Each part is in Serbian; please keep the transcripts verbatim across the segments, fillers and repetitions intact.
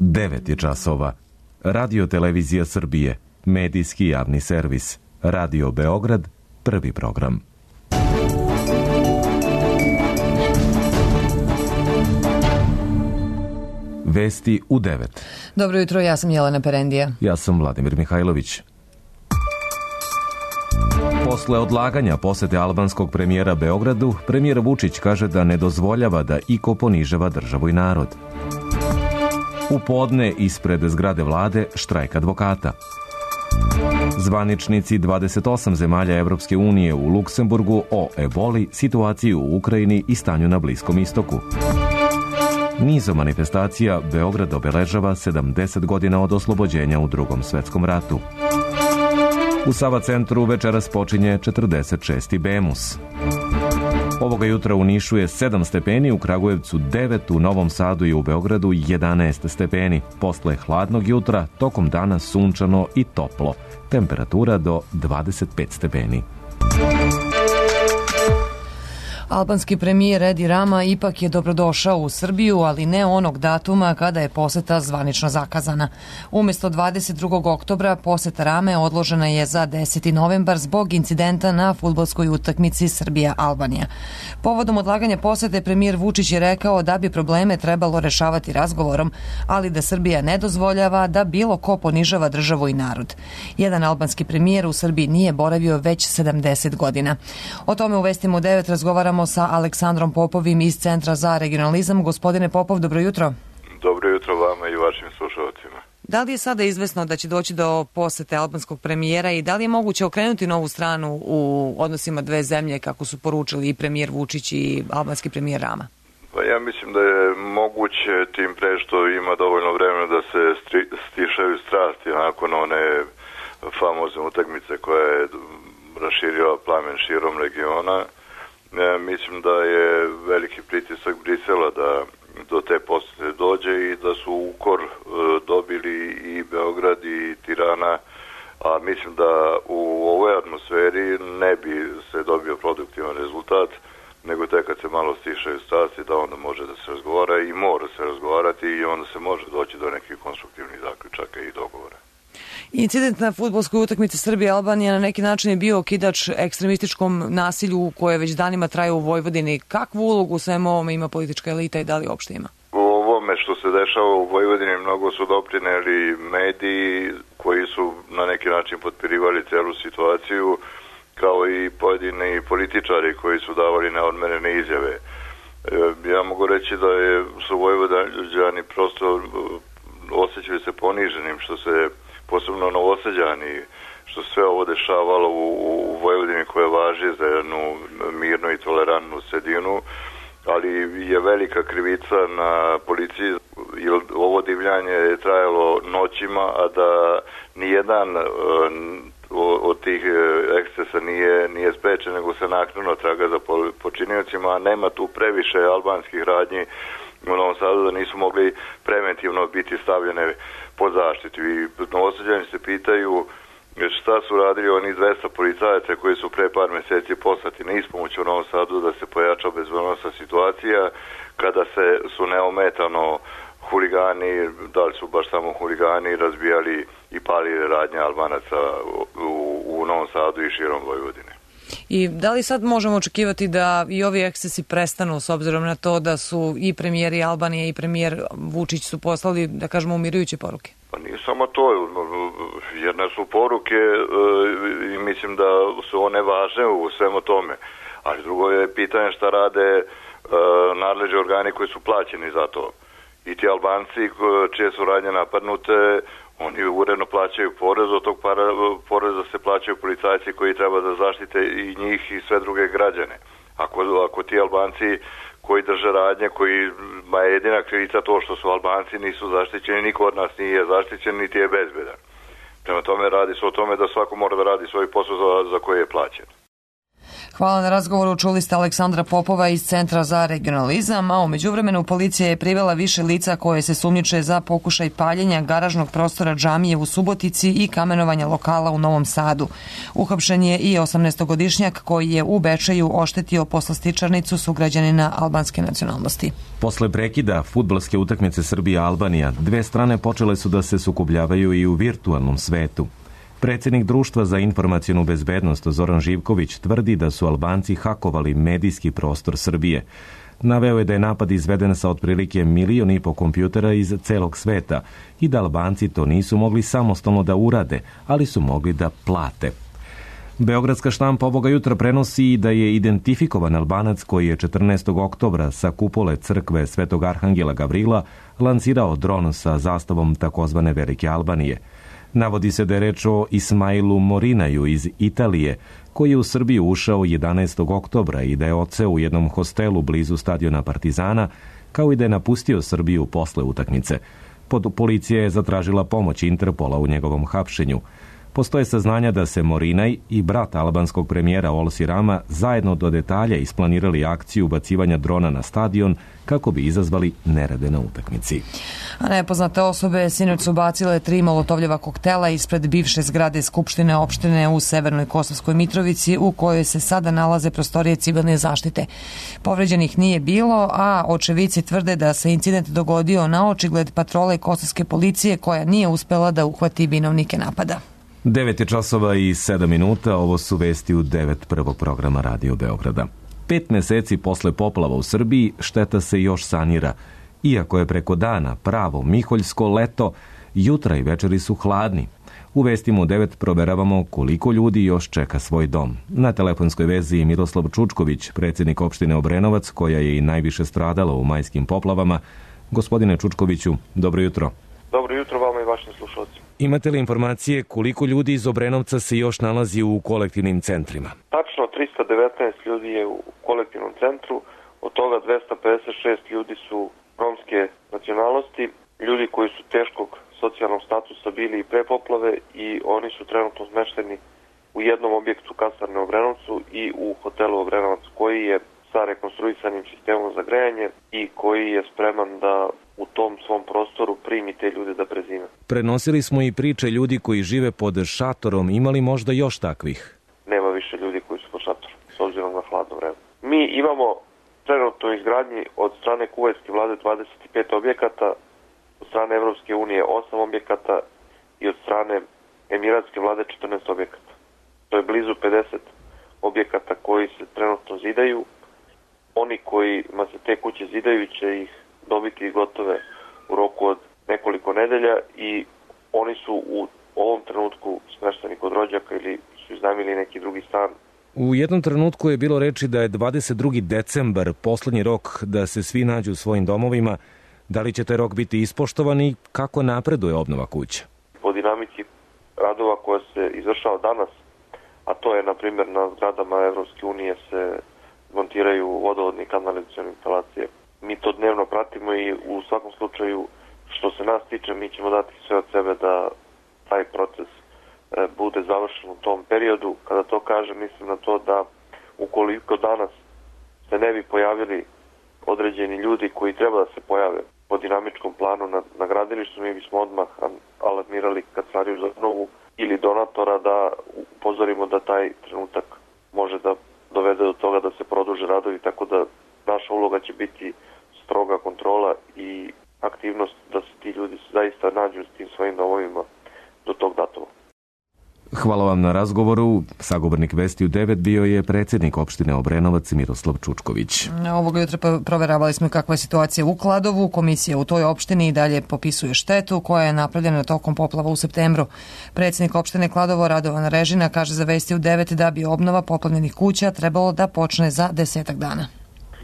devet je časova. Radio Televizija Srbije, medijski javni servis. Radio Beograd, prvi program. Vesti u devet. Dobro jutro, ja sam Jelena Perendija. Ja sam Vladimir Mihajlović. Posle odlaganja posete albanskog premijera Beogradu, premijer Vučić kaže da ne dozvoljava da iko ponižava državu i narod. U podne ispred zgrade vlade štrajk advokata. Zvaničnici dvadeset osam zemalja Evropske unije u Luksemburgu o eboli, situaciji u Ukrajini i stanju na Bliskom istoku. Nizom manifestacija Beograd obeležava sedamdeset godina od oslobođenja u Drugom svetskom ratu. U Sava centru večeras počinje četrdeset šesti Bemus. Ovoga jutra u Nišu je sedam stepeni, u Kragujevcu devet, u Novom Sadu i u Beogradu jedanaest stepeni. Posle hladnog jutra, tokom dana sunčano i toplo. Temperatura do dvadeset pet stepeni. Albanski premijer Edi Rama ipak je dobrodošao u Srbiju, ali ne onog datuma kada je poseta zvanično zakazana. Umjesto dvadeset drugog oktobra poseta Rame odložena je za deseti novembar zbog incidenta na fudbalskoj utakmici Srbija-Albanija. Povodom odlaganja posete premijer Vučić je rekao da bi probleme trebalo rešavati razgovorom, ali da Srbija ne dozvoljava da bilo ko ponižava državu i narod. Jedan albanski premijer u Srbiji nije boravio već sedamdeset godina. O tome u Vestima u devet razgovaramo sa Aleksandrom Popovim iz Centra za regionalizam. Gospodine Popov, dobro jutro. Dobro jutro vama i vašim slušalcima. Da li je sada izvesno da će doći do posete albanskog premijera i da li je moguće okrenuti novu stranu u odnosima dve zemlje, kako su poručili i premijer Vučić i albanski premijer Rama? Pa ja mislim da je moguće, tim pre što ima dovoljno vremena da se stri, stišaju strasti nakon one famozne utakmice koja je raširila plamen širom regiona. Ja mislim da je veliki pritisak Brisela da do te posete dođe i da su ukor e, dobili i Beograd i Tirana, a mislim da u ovoj atmosferi ne bi se dobio produktivan rezultat, nego tek kad se malo stišaju strasti da onda može da se razgovara i mora se razgovarati i onda se može doći do nekih konstruktivnih zaključaka i dogovora. Incident na fudbalskoj utakmici Srbije-Albanija na neki način je bio okidač ekstremističkom nasilju koje već danima traje u Vojvodini. Kakvu ulogu u svemu ovome ima politička elita i da li uopšte ima? U ovome što se dešava u Vojvodini mnogo su doprineli mediji koji su na neki način potpirivali celu situaciju, kao i pojedini političari koji su davali neodmerene izjave. Ja mogu reći da je, su Vojvođani prosto osjećaju se poniženim što se posebno Novosađani, što sve ovo dešavalo u, u Vojvodini koja važi za jednu mirnu i tolerantnu sredinu, ali je velika krivica na policiji, jer ovo divljanje je trajalo noćima, a da nijedan od tih ekscesa nije, nije sprečen, nego se naknadno traga za počiniocima, a nema tu previše albanskih radnji u Novom Sadu da nisu mogli preventivno biti stavljene pod zaštitu. I Novosađani se pitaju šta su radili oni dvesta policajaca koji su pre par meseci poslati na ispomoć u Novom Sadu da se pojača bezbednosna situacija kada se su neometano huligani, da li su baš samo huligani, razbijali i palili radnje Albanaca u, u Novom Sadu i širom Vojvodine. I da li sad možemo očekivati da i ovi ekscesi prestanu s obzirom na to da su i premijeri Albanije i premijer Vučić su poslali, da kažemo, umirujuće poruke? Pa nije samo to, jedne su poruke i mislim da su one važne u svemu tome, ali drugo je pitanje šta rade nadležni organi koji su plaćeni za to. I ti Albanci čije su radnje napadnute, oni uredno plaćaju porez, od tog para, poreza se plaćaju policajci koji treba da zaštite i njih i sve druge građane. Ako, ako ti Albanci koji drže radnje, koji ma je jedina krivica to što su Albanci nisu zaštićeni, niko od nas nije zaštićen, niti je bezbedan. Prema tome radi se o tome da svako mora da radi svoj posao za, za koji je plaćen. Hvala na razgovoru. Čuli ste Aleksandra Popova iz Centra za regionalizam, a u međuvremenu policija je privela više lica koje se sumnjiče za pokušaj paljenja garažnog prostora džamije u Subotici i kamenovanja lokala u Novom Sadu. Uhapšen je i osamnaestogodišnjak koji je u Bečeju oštetio poslastičarnicu sugrađanina albanske nacionalnosti. Posle prekida fudbalske utakmice Srbija-Albanija, dve strane počele su da se sukobljavaju i u virtualnom svetu. Predsjednik Društva za informacionu bezbednost Zoran Živković tvrdi da su Albanci hakovali medijski prostor Srbije. Naveo je da je napad izveden sa otprilike milion i po kompjutera iz celog sveta i da Albanci to nisu mogli samostalno da urade, ali su mogli da plate. Beogradska štampa ovoga jutra prenosi da je identifikovan Albanac koji je četrnaestog oktobra sa kupole crkve Svetog Arhangela Gavrila lansirao dron sa zastavom takozvane Velike Albanije. Navodi se da je reč o Ismailu Morinaju iz Italije, koji je u Srbiju ušao jedanaestog oktobra i da je odseo u jednom hostelu blizu stadiona Partizana, kao i da je napustio Srbiju posle utakmice. Pod policija je zatražila pomoć Interpola u njegovom hapšenju. Postoje saznanja da se Morinaj i brat albanskog premijera Olsi Rama zajedno do detalja isplanirali akciju ubacivanja drona na stadion kako bi izazvali nerede na utakmici. A nepoznate osobe sinoć su bacile tri molotovljeva koktela ispred bivše zgrade Skupštine opštine u Severnoj Kosovskoj Mitrovici, u kojoj se sada nalaze prostorije civilne zaštite. Povređenih nije bilo, a očevici tvrde da se incident dogodio na očigled patrole kosovske policije koja nije uspela da uhvati vinovnike napada. devet je časova i sedam minuta, ovo su vesti u devet prvog programa Radio Beograda. Pet meseci posle poplava u Srbiji šteta se još sanira. Iako je preko dana pravo miholjsko leto, jutra i večeri su hladni. U vestima u devet proveravamo koliko ljudi još čeka svoj dom. Na telefonskoj vezi Miroslav Čučković, predsjednik opštine Obrenovac, koja je i najviše stradala u majskim poplavama. Gospodine Čučkoviću, dobro jutro. Dobro jutro vama i vašim slušalcima. Imate li informacije koliko ljudi iz Obrenovca se još nalazi u kolektivnim centrima? Tačno trista devetnaest ljudi je u kolektivnom centru, od toga dvesta pedeset šest ljudi su romske nacionalnosti, ljudi koji su teškog socijalnog statusa bili i pre poplave i oni su trenutno smešteni u jednom objektu kasarne u Obrenovcu i u hotelu Obrenovac koji je sa rekonstruisanim sistemom za grejanje i koji je spreman da u tom svom prostoru primi te ljude da prezime. Prenosili smo i priče ljudi koji žive pod šatorom. Imali možda još takvih? Nema više ljudi koji su pod šatorom, s obzirom na hladno vreme. Mi imamo trenutno u izgradnji od strane kuvajtske vlade dvadeset pet objekata, od strane Evropske unije osam objekata i od strane emiratske vlade četrnaest objekata. To je blizu pedeset objekata koji se trenutno zidaju. Oni kojima se te kuće zidaju će ih dobiti gotove u roku od nekoliko nedelja i oni su u ovom trenutku smešteni kod rođaka ili su iznajmili neki drugi stan. U jednom trenutku je bilo reči da je dvadeset drugi decembar poslednji rok da se svi nađu u svojim domovima. Da li će taj rok biti ispoštovan i kako napreduje obnova kuća? Po dinamici radova koja se izvršava danas, a to je na primjer na zgradama Evropske unije se montiraju vodovodne i kanalizacione instalacije. Mi to dnevno pratimo i u svakom slučaju što se nas tiče mi ćemo dati sve od sebe da taj proces e, bude završen u tom periodu. Kada to kažem mislim na to da ukoliko danas se ne bi pojavili određeni ljudi koji treba da se pojave po dinamičkom planu na, na gradilištu, mi bismo odmah alarmirali Kancelariju za obnovu ili donatora da upozorimo da taj trenutak može da dovede do toga da se produže radovi, tako da naša uloga će biti stroga kontrola i aktivnost da se ti ljudi zaista nađu s tim svojim domovima do tog datuma. Hvala vam na razgovoru. Sagovornik Vesti u devet bio je predsjednik opštine Obrenovac Miroslav Čučković. Ovoga jutra proveravali smo kakva je situacija u Kladovu. Komisija u toj opštini i dalje popisuje štetu koja je napravljena tokom poplava u septembru. Predsjednik opštine Kladovo Radovan Režina kaže za Vesti u devet da bi obnova poplavljenih kuća trebalo da počne za desetak dana.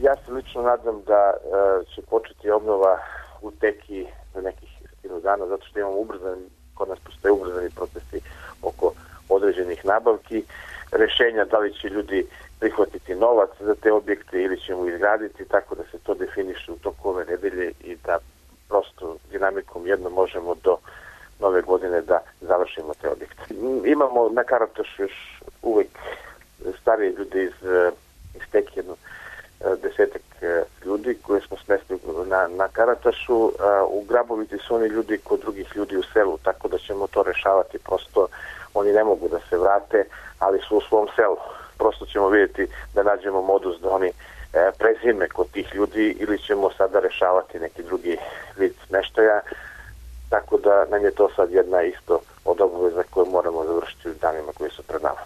Ja se lično nadam da uh, će početi obnova u teki za nekih stotinu dana, zato što imamo ubrzani, kod nas postoje ubrzani procesi oko određenih nabavki, rešenja da li će ljudi prihvatiti novac za te objekte ili ćemo izgraditi, tako da se to definiše u toku ove nedelje i da prosto dinamikom jedno možemo do nove godine da završimo te objekte. Imamo na Karatošu još uvek starije ljude iz, iz tek jedno desetak ljudi koje smo smestili na, na Karatašu. U Grabovici su oni ljudi kod drugih ljudi u selu, tako da ćemo to rešavati. Prosto oni ne mogu da se vrate, ali su u svom selu. Prosto ćemo vidjeti da nađemo modus da oni prezime kod tih ljudi ili ćemo sada rešavati neki drugi vid smeštaja. Tako da nam je to sad jedna isto od obaveza koje moramo završiti u danima koji su pred nama.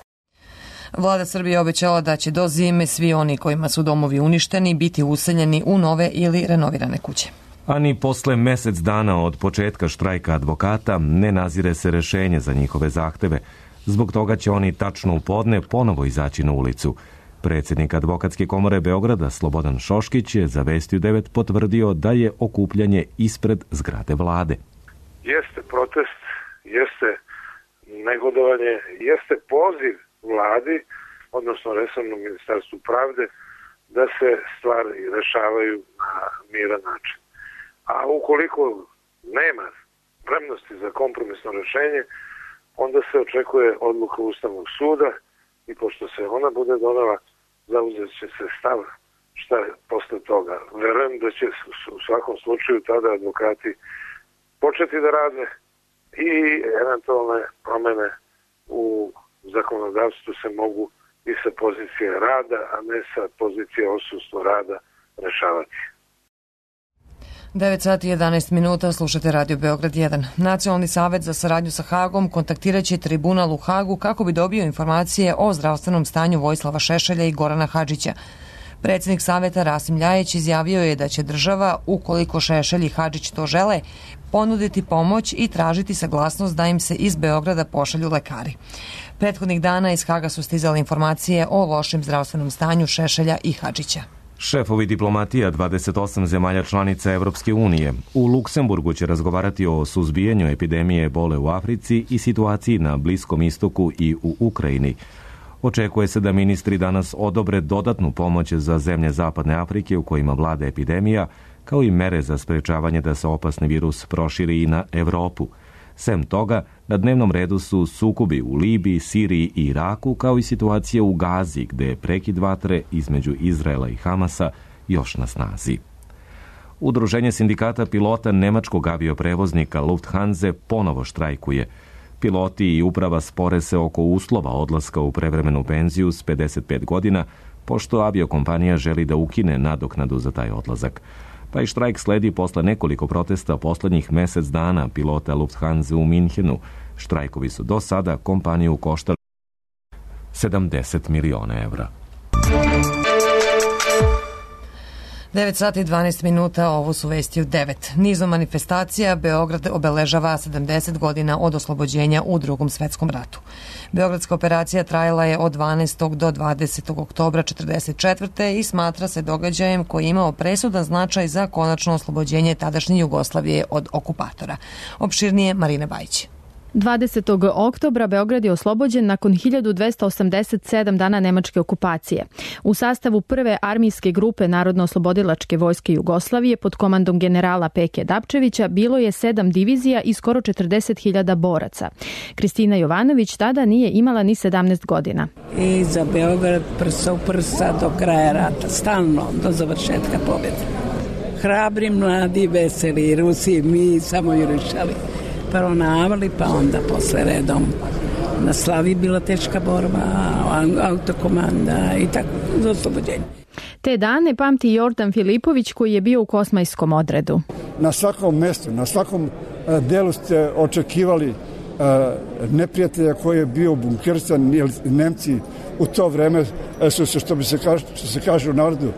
Vlada Srbije obećala da će do zime svi oni kojima su domovi uništeni biti useljeni u nove ili renovirane kuće. A ni posle mesec dana od početka štrajka advokata ne nazire se rešenje za njihove zahteve. Zbog toga će oni tačno u podne ponovo izaći na ulicu. Predsjednik Advokatske komore Beograda Slobodan Šoškić je za Vesti u devet potvrdio da je okupljanje ispred zgrade vlade. Jeste protest, jeste negodovanje, jeste poziv vladi, odnosno resornom ministarstvu pravde, da se stvari rešavaju na miran način. A ukoliko nema spremnosti za kompromisno rešenje, onda se očekuje odluka Ustavnog suda i pošto se ona bude donela, zauzet će se stav šta je posle toga. Verujem da će u svakom slučaju tada advokati početi da rade i eventualne promene u zakonodavstvu se mogu i sa pozicije rada, a ne sa pozicije odsustva rada rešavati. devet sati i jedanaest minuta, slušate Radio Beograd jedan. Nacionalni savet za saradnju sa Hagom kontaktiraće tribunal u Hagu kako bi dobio informacije o zdravstvenom stanju Vojislava Šešelja i Gorana Hadžića. Predsjednik saveta Rasim Ljajić izjavio je da će država, ukoliko Šešelj i Hadžić to žele, ponuditi pomoć i tražiti saglasnost da im se iz Beograda pošalju lekari. Prethodnih dana iz Haga su stizale informacije o lošem zdravstvenom stanju Šešelja i Hadžića. Šefovi diplomatija dvadeset osam zemalja članica Evropske unije u Luksemburgu će razgovarati o suzbijanju epidemije ebole u Africi i situaciji na Bliskom istoku i u Ukrajini. Očekuje se da ministri danas odobre dodatnu pomoć za zemlje Zapadne Afrike u kojima vlada epidemija, kao i mere za sprečavanje da se opasni virus proširi i na Evropu. Sem toga, na dnevnom redu su sukobi u Libiji, Siriji i Iraku, kao i situacija u Gazi, gde je prekid vatre između Izraela i Hamasa još na snazi. Udruženje sindikata pilota nemačkog avioprevoznika Lufthansa ponovo štrajkuje. Piloti i uprava spore se oko uslova odlaska u prevremenu penziju s pedeset pet godina, pošto aviokompanija želi da ukine nadoknadu za taj odlazak. Taj štrajk sledi posle nekoliko protesta poslednjih mesec dana pilota Lufthansa u Minhenu. Štrajkovi su do sada kompaniju koštali sedamdeset miliona evra. devet sati i dvanaest minuta, ovo su Vesti u devet. Nizom manifestacija Beograd obeležava sedamdeset godina od oslobođenja u Drugom svetskom ratu. Beogradska operacija trajala je od dvanaestog do dvadesetog oktobra četrdeset četvrte i smatra se događajem koji je imao presudan značaj za konačno oslobođenje tadašnje Jugoslavije od okupatora. Opširnije Marina Bajić. dvadesetog oktobra Beograd je oslobođen nakon hiljadu dvesta osamdeset sedam dana nemačke okupacije. U sastavu prve armijske grupe Narodno-oslobodilačke vojske Jugoslavije pod komandom generala Peke Dapčevića bilo je sedam divizija i skoro četrdeset hiljada boraca. Kristina Jovanović tada nije imala ni sedamnaest godina. I za Beograd prsa u prsa do kraja rata, stalno do završetka pobjede. Hrabri, mladi, veseli Rusi, mi samo jurišali. Prvo na Avali, pa onda posle redom. Na Slavi bila teška borba, autokomanda i tako, za oslobođenje. Te dane pamti Jordan Filipović koji je bio u kosmajskom odredu. Na svakom mestu, na svakom delu ste očekivali neprijatelja koji je bio bunkersan, jer Nemci u to vreme su se, što, bi se kaže, što se kaže u narodu,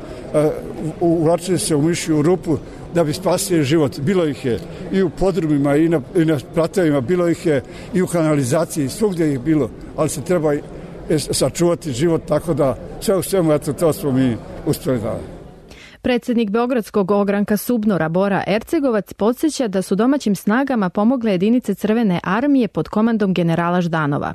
uvlačili se u mišju rupu da bi spasili život. Bilo ih je i u podrumima i na, i na pratevima, bilo ih je i u kanalizaciji, svugdje ih bilo, ali se treba sačuvati život, tako da sve u svemu, eto, to smo mi uspjeli da. Predsjednik Beogradskog ogranka Subnora Bora Ercegovac podsjeća da su domaćim snagama pomogle jedinice Crvene armije pod komandom generala Ždanova.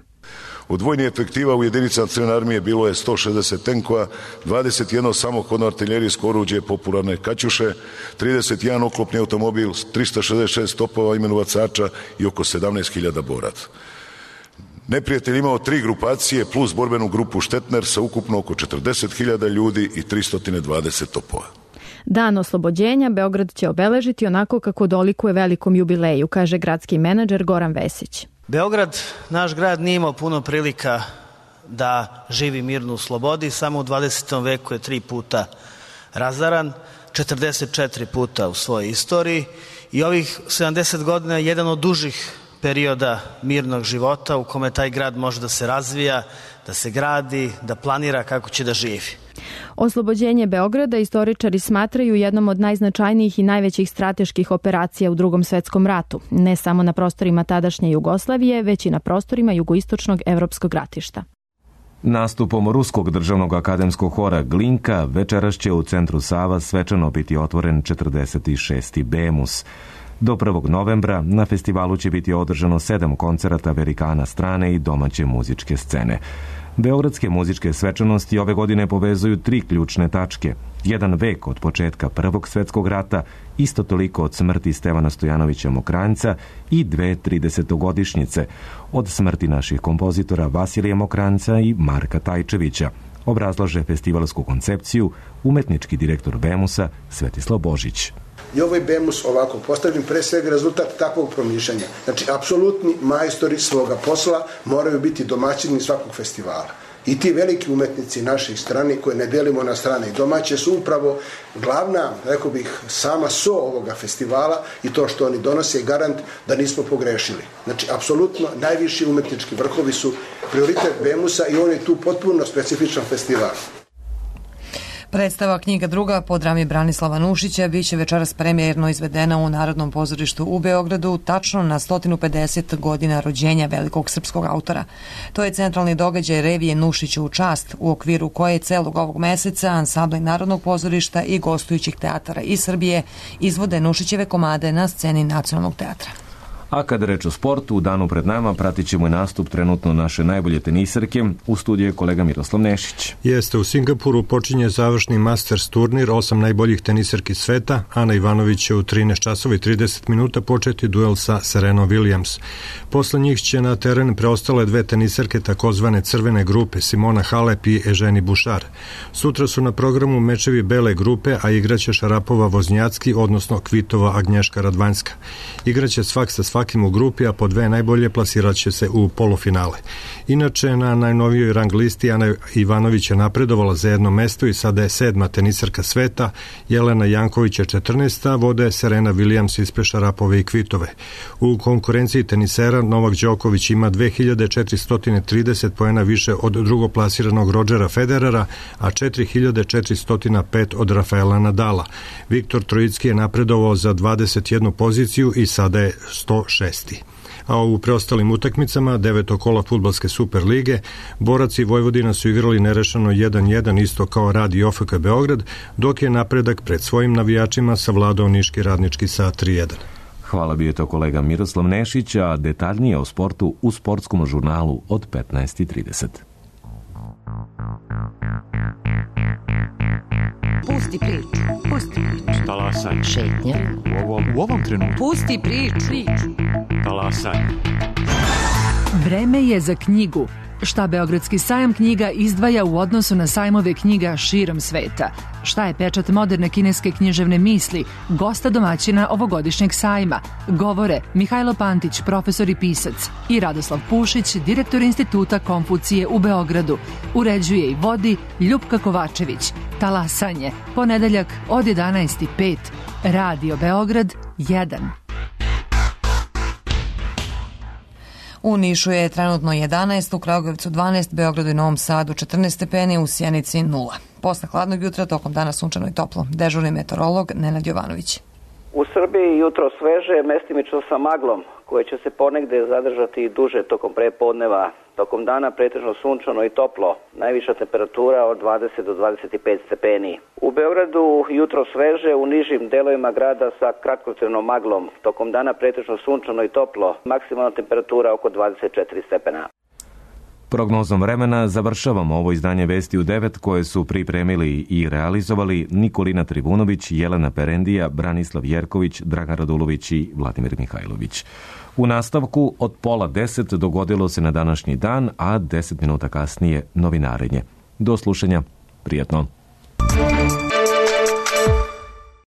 Od vojnih efektiva u jedinicama Crvene armije bilo je sto šezdeset tenkova, dvadeset jedno samohodno artiljerijsko oruđe popularne Kaćuše, trideset jedan oklopni automobil, trista šezdeset šest topova imenovacača i oko sedamnaest hiljada boraca. Neprijatelj imao tri grupacije plus borbenu grupu Štetner sa ukupno oko četrdeset hiljada ljudi i tristo dvadeset topova. Dan oslobođenja Beograd će obeležiti onako kako dolikuje velikom jubileju, kaže gradski menadžer Goran Vesić. Beograd, naš grad, nije imao puno prilika da živi mirno u slobodi. Samo u dvadesetom veku je tri puta razaran, četrdeset četiri puta u svojoj istoriji i ovih sedamdeset godina je jedan od dužih perioda mirnog života u kome taj grad može da se razvija, da se gradi, da planira kako će da živi. Oslobođenje Beograda istoričari smatraju jednom od najznačajnijih i najvećih strateških operacija u Drugom svetskom ratu, ne samo na prostorima tadašnje Jugoslavije, već i na prostorima jugoistočnog evropskog ratišta. Nastupom Ruskog državnog akademskog hora Glinka večeras će u centru Sava svečano biti otvoren četrdeset šesti Bemus. Do prvog novembra na festivalu će biti održano sedam koncerata velikana strane i domaće muzičke scene. Beogradske muzičke svečanosti ove godine povezuju tri ključne tačke. Jedan vek od početka Prvog svetskog rata, isto toliko od smrti Stevana Stojanovića Mokranjca i dve tridesetogodišnjice od smrti naših kompozitora Vasilija Mokranjca i Marka Tajčevića. Obrazlaže festivalsku koncepciju umetnički direktor Bemusa Svetislav Božić. I ovaj Bemus ovako postavljen pre svega rezultat takvog promišljanja. Znači, apsolutni majstori svoga posla moraju biti domaćini svakog festivala. I ti veliki umetnici naših strani, koje ne delimo na strane i domaće, su upravo glavna, rekao bih, sama so ovoga festivala i to što oni donose je garant da nismo pogrešili. Znači, apsolutno najviši umetnički vrhovi su prioritet Bemusa i on je tu potpuno specifičan festival. Predstava Knjiga druga po drami Branislava Nušića biće večeras premijerno izvedena u Narodnom pozorištu u Beogradu, tačno na sto pedeset godina rođenja velikog srpskog autora. To je centralni događaj revije Nušiću u čast, u okviru koje celog ovog meseca ansambli Narodnog pozorišta i gostujućih teatara iz Srbije izvode Nušićeve komade na sceni Nacionalnog teatra. A kada reč o sportu, u danu pred nama pratit ćemo i nastup trenutno naše najbolje tenisarke. U studiju je kolega Miroslav Nešić. Jeste, u Singapuru počinje završni Masters turnir, osam najboljih tenisarki sveta. Ana Ivanović će u trinaest časova i trideset minuta početi duel sa Serenom Williams. Posle njih će na teren preostale dve tenisarke takozvane crvene grupe, Simona Halep i Eženi Bušar. Sutra su na programu mečevi bele grupe, a igraće Šarapova Voznjacki, odnosno Kvitova Agnješka Radvanjska. Igraće svak sa svakim u grupi, a po dve najbolje plasirat će se u polufinale. Inače, na najnovijoj rang listi Ana Ivanović je napredovala za jedno mesto i sada je sedma tenisarka sveta, Jelena Janković je četrnaesta, vode Serena Williams ispred Šarapove i Kvitove. U konkurenciji tenisera Novak Đoković ima dve hiljade četiristo trideset poena više od drugoplasiranog Rodgera Federera, a četiri hiljade četiristo pet od Rafaela Nadala. Viktor Trojicki je napredovao za dvadeset jednu poziciju i sada je sto šesti. A u preostalim utakmicama deveto kola fudbalske Super lige Borac i Vojvodina su igrali nerešeno jedan jedan isto kao Rad i O F K Beograd, dok je napredak pred svojim navijačima savladao Niški Radnički sa tri jedan. Hvala, bio je to kolega Miroslav Nešić, a detaljnije o sportu u sportskom žurnalu od petnaest i trideset. Pusti priču, pusti priču. Talasaj. Šetnja. U ovom, u ovom trenutku. Pusti priču. Talasaj. Vreme je za knjigu. Šta Beogradski sajam knjiga izdvaja u odnosu na sajmove knjiga širom sveta? Šta je pečat moderne kineske književne misli, gosta domaćina ovogodišnjeg sajma? Govore Mihajlo Pantić, profesor i pisac, i Radoslav Pušić, direktor Instituta Konfucije u Beogradu. Uređuje i vodi Ljupka Kovačević. Talasanje, ponedeljak od jedanaest i pet. Radio Beograd jedan. U Nišu je trenutno jedanaest, u Kragujevcu dvanaest, Beogradu i Novom Sadu četrnaest stepeni, u Sjenici nula. Posle hladnog jutra, tokom dana sunčano i toplo. Dežurni meteorolog Nenad Jovanović. U Srbiji jutro sveže, mestimično sa maglom, koje će se ponegde zadržati duže tokom prepodneva. Tokom dana pretežno sunčano i toplo, najviša temperatura od dvadeset do dvadeset pet stepeni. U Beogradu jutro sveže, u nižim delovima grada sa kratkotrajnom maglom. Tokom dana pretežno sunčano i toplo, maksimalna temperatura oko dvadeset četiri stepena. Prognozom vremena završavamo ovo izdanje Vesti u devet koje su pripremili i realizovali Nikolina Trivunović, Jelena Perendija, Branislav Jerković, Dragan Radulović i Vladimir Mihajlović. U nastavku od pola deset dogodilo se na današnji dan, a deset minuta kasnije novinarenje. Do slušanja, prijatno.